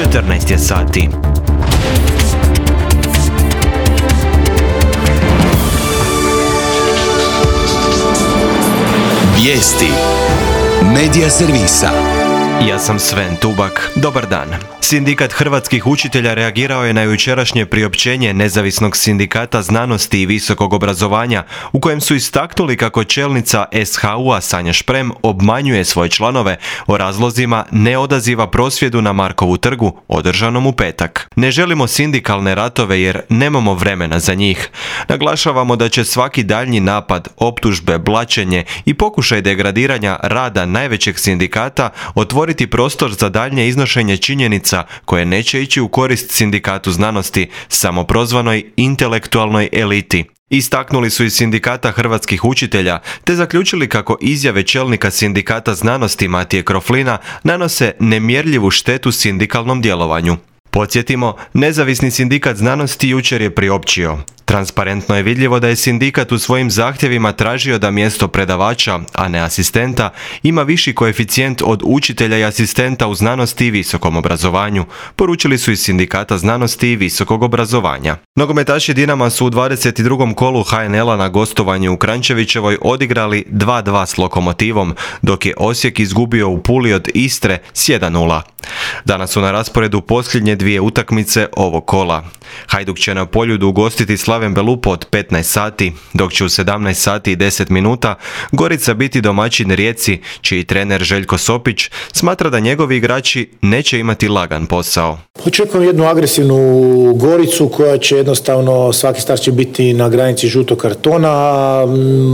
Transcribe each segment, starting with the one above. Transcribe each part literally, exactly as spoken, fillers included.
četrnaest je sati. Vijesti Medija servisa. Ja sam Sven Tubak. Dobar dan. Sindikat hrvatskih učitelja reagirao je na jučerašnje priopćenje Nezavisnog sindikata znanosti i visokog obrazovanja, u kojem su istaknuli kako čelnica es ha u a Sanja Šprem obmanjuje svoje članove o razlozima neodaziva prosvjedu na Markovu trgu, održanom u petak. Ne želimo sindikalne ratove jer nemamo vremena za njih. Naglašavamo da će svaki daljnji napad, optužbe, blaćenje i pokušaj degradiranja rada najvećeg sindikata otvoriti prostor za daljnje iznošenje činjenica koje neće ići u korist sindikatu znanosti, samoprozvanoj intelektualnoj eliti. Istaknuli su iz sindikata hrvatskih učitelja, te zaključili kako izjave čelnika sindikata znanosti Matije Kroflina nanose nemjerljivu štetu sindikalnom djelovanju. Podsjetimo, Nezavisni sindikat znanosti jučer je priopćio: transparentno je vidljivo da je sindikat u svojim zahtjevima tražio da mjesto predavača, a ne asistenta, ima viši koeficijent od učitelja i asistenta u znanosti i visokom obrazovanju, poručili su iz sindikata znanosti i visokog obrazovanja. Nogometaši Dinama su u dvadeset drugom kolu ha en el a na gostovanju u Kranjčevićevoj odigrali dva dva s Lokomotivom, dok je Osijek izgubio u Puli od Istre s jedan nula. Danas su na rasporedu posljednje dvije utakmice ovog kola. Hajduk će na Poljudu ugostiti Slaven Belupo od petnaest sati, dok će u sedamnaest sati i deset minuta Gorica biti domaćin Rijeci, čiji trener Željko Sopić smatra da njegovi igrači neće imati lagan posao. Očekujem jednu agresivnu Goricu koja će jednostavno, svaki start će biti na granici žutog kartona.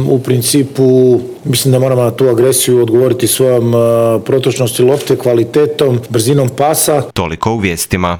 U principu mislim da moramo na tu agresiju odgovoriti svojom protočnosti lopte, kvalitetom, brzinom pasa. Toliko u vijestima.